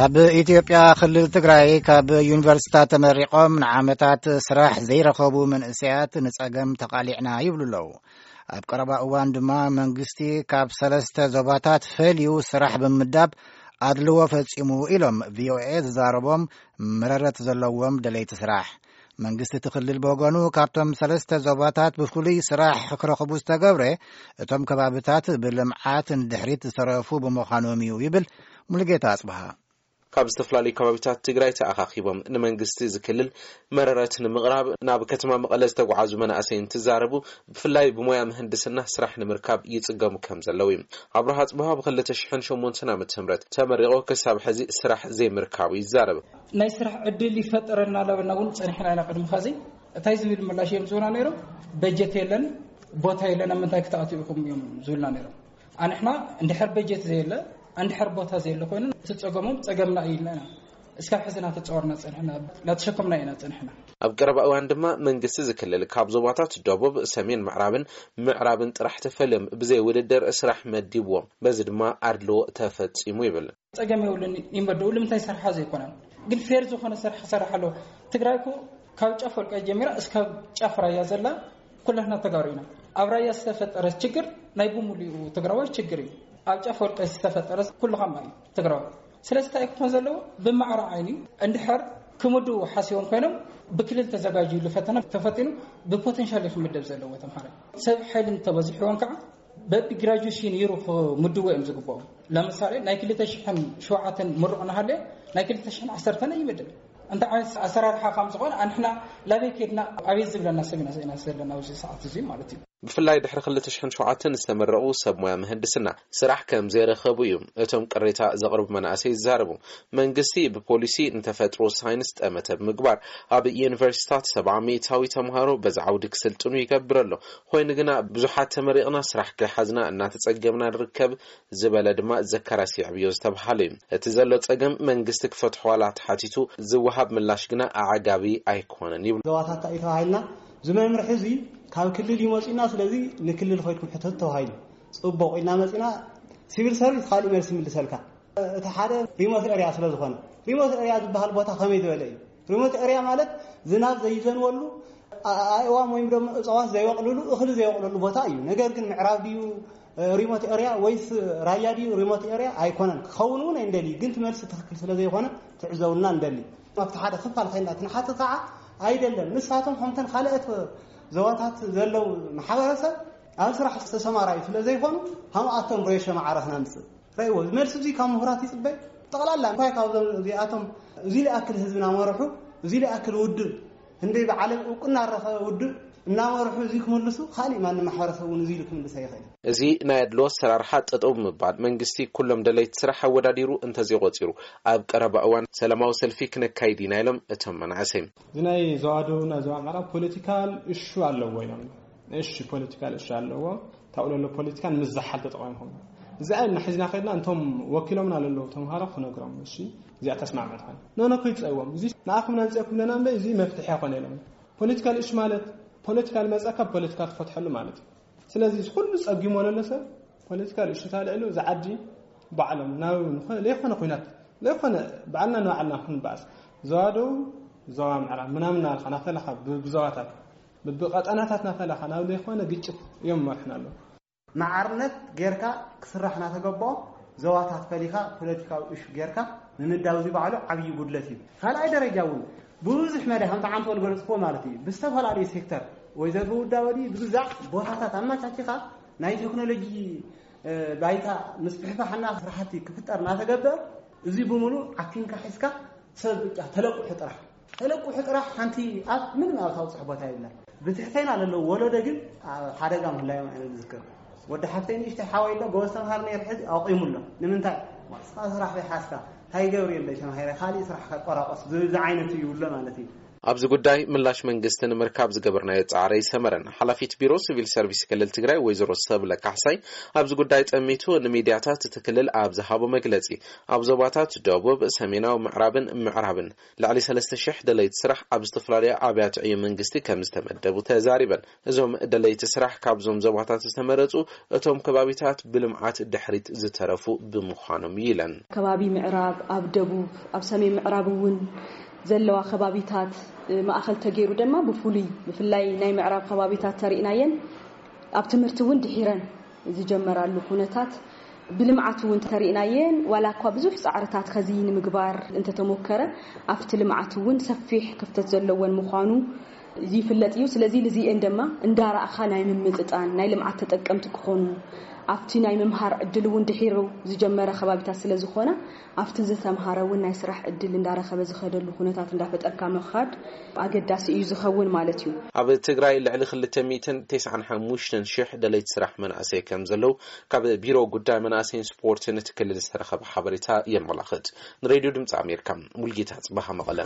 ኣብ ኢትዮጵያ ክልል ትግራይ ካብ ዩኒቨርሲታት ተመሪቖም ንዓመታት ስራሕ ዘይረኸቡ መንእሰያት ንጸገም ተቓሊዕና ይብሉ ኣለዉ። ኣብ ቀረባ እዋን ድማ መንግስቲ ካብ ሰለስተ ዞባታት ፈልዩ ስራሕ ብምምዳብ ኣድልዎ ፈጺሙ ኢሎም ቪኦኤ ዝዛረቦም መረረት ዘለዎም ደለይቲ ስራሕ። መንግስቲ እቲ ክልል ብወገኑ ካብቶም ሰለስተ ዞባታት ብፍሉይ ስራሕ ክረኽቡ ዝተገብረ እቶም ከባብታት ብልምዓት ንድሕሪት ዝተረፉ ብምዃኖም እዩ ይብል ሙሉጌታ ኣጽብሃ። ካብ ዝተፈላለዩ ከባቢታት ትግራይ ተኣኻኺቦም ንመንግስቲ ዝክልል መረረት ንምቕራብ ናብ ከተማ መቐለ ዝተጓዓዙ መናእሰይ እንትዛረቡ፣ ብፍላይ ብሞያ ምህንድስና ስራሕ ንምርካብ ይጽገሙ ከም ዘለዉ እዩ። ኣብርሃ ኣጽብሃ ብ ክልተ ሽሕን ሸሞንተን ዓመተ ምህረት ተመሪቑ ክሳብ ሕዚ ስራሕ ዘይምርካቡ ይዛረብ። ናይ ስራሕ ዕድል ይፈጠረልና ለበና እውን ጸኒሕና ኢና። ቅድሚ ኸዚ እንታይ ዝብል ምላሽ እዮም ዝብና ነይሮም? በጀት የለን፣ ቦታ የለን፣ ኣብ ምንታይ ክትኣትዩ ኢኹም እዮም ዝብልና ነይሮም። ኣንሕና እንድሕር በጀት ዘየለ፣ እንድሕር ቦታ ዘየለ ኮይኑ፣ እቲ ጸገሞም ጸገምና እዩ ኢልና ኢና እስካብ ሕዚ እናተጻወርና ጸንሕና፣ እናተሸከምና ኢና ጸንሕና። ኣብ ቀረባ እዋን ድማ መንግስቲ ዝክልል ካብ ዞባታት ደቡብ፣ ሰሜን ምዕራብን ምዕራብን ጥራሕ ተፈልዮም ብዘይ ውድድር ስራሕ መዲብዎም፣ በዚ ድማ ኣድልዎ ተፈጺሙ ይብል። ጸገም የብሉን ይመደቡ፣ ንምንታይ ሰርሓ ዘይኮነን ግን ፌር ዝኾነ ስራሕ ክሰርሕ ኣለዎ። ትግራይ እኮ ካብ ጫፍ ወልቃይት ጀሚራ እስካብ ጫፍ ራያ ዘላ ኩላትና ተጋሩ ኢና። ኣብ ራያ ዝተፈጠረ ችግር ናይ ብሙሉኡ ትግራዋይ ችግር እዩ። ኣብ ጫፍ ወልቃይት ዝተፈጠረ ኩሉ ከማ እዩ ትግራዋይ። ስለዚ እንታይ ክኾን ዘለዎ? ብማዕረ ዓይኒ እንድሕር ክምድቡ ሓሲቦም ኮይኖም ብክልል ተዘጋጅዩሉ ፈተና ተፈቲኑ ብፖቴንሻል እዩ ክምደብ ዘለዎ ተምሃራይ። ሰብ ሓይሊ እንተበዚሕዎም ከዓ በቢ ግራጁዌሽን ይሩ ክምድቡ እዮም ዝግብኦም። ለምሳሌ ናይ ክልተ ሽሕን ሸውዓተን ምሩቕ እናሃለየ ናይ ክልተ ሽሕን ዓሰርተን ኣይምድብ። እንታይ ዓይነት ኣሰራርሓ ከም ዝኾነ ኣንሕና ላበይ ከድና ኣበይ ዝብለና ሰብ ኢና ዘለና ኣብዚ ሰዓት እዚ ማለት እዩ። ብፍላይ ድሕሪ ክልተ ሽሕን ሸውዓተን ዝተመረቑ ሰብ ሞያ ምህንድስና ስራሕ ከም ዘይረኸቡ እዩ እቶም ቅሬታ ዘቕርቡ መናእሰይ ዝዛረቡ። መንግስቲ ብፖሊሲ ንተፈጥሮ ሳይንስ ጠመተ ብምግባር ኣብ ዩኒቨርሲታት ሰብዓ ሚእታዊ ተምሃሮ በዚ ዓውዲ ክስልጥኑ ይገብር ኣሎ። ኮይኑ ግና ብዙሓት ተመሪቕና ስራሕ ከይሓዝና እናተጸገምና ንርከብ ዝበለ ድማ ዘካርያስ የዕብዮ ዝተብሃለ እዩ። እቲ ዘሎ ጸገም መንግስቲ ክፈትሖ ዋላ ተሓቲቱ ዝወሃብ ምላሽ ግና ኣዕጋቢ ኣይኮነን ይብሉ። ዞባታት እንታይ እዩ ተባሂልና? እዚ መምርሒ እዚ ካብ ክልል እዩ መፂና፣ ስለዚ ንክልል ኸይድኩም ሕተቱ ተባሂሉ። ፅቡቕ ኢልና መፂና፣ ሲቪል ሰርቪስ ካሊእ መልሲ ይምልሰልካ። እቲ ሓደ ሪሞት ኤርያ ስለ ዝኾነ፣ ሪሞት ኤርያ ዝበሃል ቦታ ከመይ ዝበለ እዩ? ሪሞት ኤርያ ማለት ዝናብ ዘይዘንበሉ፣ ኣ- ኣእዋም ወይም ደግሞ እፅዋት ዘይበቕልሉ፣ እኽሊ ዘይበቕልሉ ቦታ እዩ። ነገር ግን ምዕራብ ድዩ፣ እ፣ ሪሞት ኤርያ ወይስ ራያ ድዩ ሪሞት ኤርያ? ኣይኮነን። ክኸውን እውን ኣይንደሊ፣ ግን እቲ መልሲ ትኽክል ስለ ዘይኮነ ትዕዘቡልና ንደሊ። ኣብቲ ሓደ ክፋል ኸይና ትንሓትት ከዓ ኣይደለም። ንሳቶም ከምተን ካልኦት ዞባታት ዘለዉ ማሕበረሰብ ኣብ ስራሕ ዝተሰማራዩ ስለ ዘይኮኑ፣ ከምኣቶም ሬሾ ማዕረ ክነምፅእ ረእይዎ። እዚ መልሲ እዚ ካብ ምሁራት ይፅበ። ጠቕላላ እንታይ ካብዞም እዚኣቶም እዚ ሊኣክል ህዝቢ እናመርሑ፣ እዚ ሊኣክል ውድብ፣ ህንደይ ብዓለም እውቅና ረኸበ ውድብ እናመርሑ እዚ ክምልሱ፣ ካሊእ ማንም ማሕበረሰብ እውን እዚ ኢሉ ክምልስ ኣይኽእል። እዚ ናይ ኣድሎ ኣሰራርሓ ጠጠው ብምባል መንግስቲ ኩሎም ደለይቲ ስራሕ ኣወዳዲሩ እንተዘይቆፂሩ ኣብ ቀረባ እዋን ሰላማዊ ሰልፊ ክነካይድ ኢና ኢሎም እቶም መናእሰይ። እዚ ናይ ዞባ ደቡብና ዞባ ምዕራብ ፖለቲካል እሹ ኣለዎ ኢሎም። እሺ፣ ፖለቲካል እሹ ኣለዎ። ታውለሎ ፖለቲካን ምዝሓል ተጠቒምኩም። እዚ ኣይና ሒዝና ከድና እንቶም ወኪሎምና ለለዉ ተምሃሮ ክነግሮም፣ እሺ፣ እዚኣ ተስማዕመት ኾነ። ኖ፣ ኖ፣ ከይትጸይዎም። እዚ ንኣኹም ነምጽአኩም ለና እምበር እዚ መፍትሒ ኣይኮነ ኢሎም። ፖለቲካል እሹ ማለት ፖለቲካል መጻካ ፖለቲካ ትፈትሐሉ ማለት እዩ። ስለዚ እዚ ኩሉ ጸጊሞ ለሎ ሰብ ፖለቲካል እሹ ታልዕሉ እዚ ዓዲ ባዕሎም ናብ ንኸ-፣ ለይኮነ ኲናት፣ ለይኮነ ባዕልና ንባዕልና ክንበኣስ። ዞባ ደቡብ፣ ዞባ ምዕራብ ምናምን እናበልካ ናተለኻ ብ-፣ ብዞባታት፣ ብብቐጠናታት ናተለኻ ናብ ለይኮነ ግጭት እዮም መርሕና ኣለዉ። ማዕርነት ጌርካ ክስራሕ እናተገበኦ ዞባታት ፈሊኻ ፖለቲካዊ እሹ ጌርካ ምምዳው እዚ ባዕሉ ዓብዪ ጉድለት እዩ። ካልኣይ ደረጃ እውን ብዙሕ መዳይ ከምቲ ዓንተ ወልገለፅክዎ ማለት እዩ። ብዝተፈላለዩ ሴክተር ወይ ዘርቢ ውዳበ ድዩ ብግዛዕ ቦታታት ኣመቻቺኻ ናይ ቴክኖሎጂ፣ እ፣ ባይታ ምስፍሕፋሕና ስራሕቲ ክፍጠር እናተገበረ እዚ ብምሉእ ዓፊንካ ሒዝካ ሰብ ብቻ ተለቁሑ ጥራሕ ተለቁሑ ጥራሕ ሓንቲ ኣብ ምንም ኣብ ታውፅሕ ቦታ የብላን። ብትሕተይና ለለዉ ወለዶ ግን ኣብ ሓደጋ ምህላዮም ኣነ ዝዝክር። ወዲ ሓፍተይ ንእሽተይ ሓወይ ኣሎ፣ ጎበዝ ተምሃር ነይሩ፣ ሕዚ ኣቑሙ ኣሎ። ንምንታይ? ስኻ ስራሕ ዘይሓዝካ እንታይ ገብር የለይ ተማሂረ፣ ካሊእ ስራሕ ከቆራቆስ ዝብል ዝዓይነቱ ይብሎ ማለት እዩ። ኣብዚ ጉዳይ ምላሽ መንግስቲ ንምርካብ ዝገበርናዮ ጻዕሪ ኣይሰመረን። ሓላፊት ቢሮ ሲቪል ሰርቪስ ክልል ትግራይ ወይዘሮ ሰብለ ካሕሳይ ኣብዚ ጉዳይ ጠሚቱ ንሚድያታት እቲ ክልል ኣብ ዝሃቦ መግለጺ፣ ኣብ ዞባታት ደቡብ፣ ሰሜናዊ ምዕራብን ምዕራብን ልዕሊ ሰለስተ ሽሕ ደለይቲ ስራሕ ኣብ ዝተፈላለዩ ኣብያተ ዕዮ መንግስቲ ከም ዝተመደቡ ተዛሪበን። እዞም ደለይቲ ስራሕ ካብዞም ዞባታት ዝተመረጹ እቶም ከባቢታት ብልምዓት ድሕሪት ዝተረፉ ብምዃኖም እዩ ኢለን። ከባቢ ምዕራብ፣ ኣብ ደቡብ፣ ኣብ ሰሜን ምዕራብ እውን ዘለዋ ከባቢታት፣ እ፣ ማእኸል ተገይሩ ድማ ብፍሉይ ብፍላይ ናይ ምዕራብ ከባቢታት ተሪእናየን ኣብ ትምህርቲ እውን ድሒረን ዝጀመራሉ ኩነታት፣ ብልምዓት እውን ተሪእናየን። ዋላ እኳ ብዙሕ ጻዕርታት ከዚ ንምግባር እንተተሞከረ፣ ኣብቲ ልምዓት እውን ሰፊሕ ክፍተት ዘለወን ምዃኑ ዝፍለጥ እዩ። ስለዚ ልዚኤን ድማ እንዳረኣኻ ናይ ምምጥጣን ናይ ልምዓት ተጠቀምቲ ክኾኑ፣ ኣብቲ ናይ ምምሃር ዕድል እውን ድሒሩ ዝጀመረ ከባቢታት ስለ ዝኾነ፣ ኣብቲ ዝተምሃረ እውን ናይ ስራሕ ዕድል እንዳረኸበ ዝኸደሉ ኩነታት እንዳፈጠርካ ምኻድ ኣገዳሲ እዩ ዝኸውን ማለት እዩ። ኣብ ትግራይ ልዕሊ ክልተ ሚእትን ተስዓን ሓሙሽተን ሽሕ ደለይቲ ስራሕ መናእሰይ ከም ዘለዉ ካብ ቢሮ ጉዳይ መናእሰይን ስፖርትን እቲ ክልል ዝተረኸበ ሓበሬታ የመላኽት። ንሬድዮ ድምፂ ኣሜሪካ፣ ሙልጌታ ጽባሃ፣ መቐለ።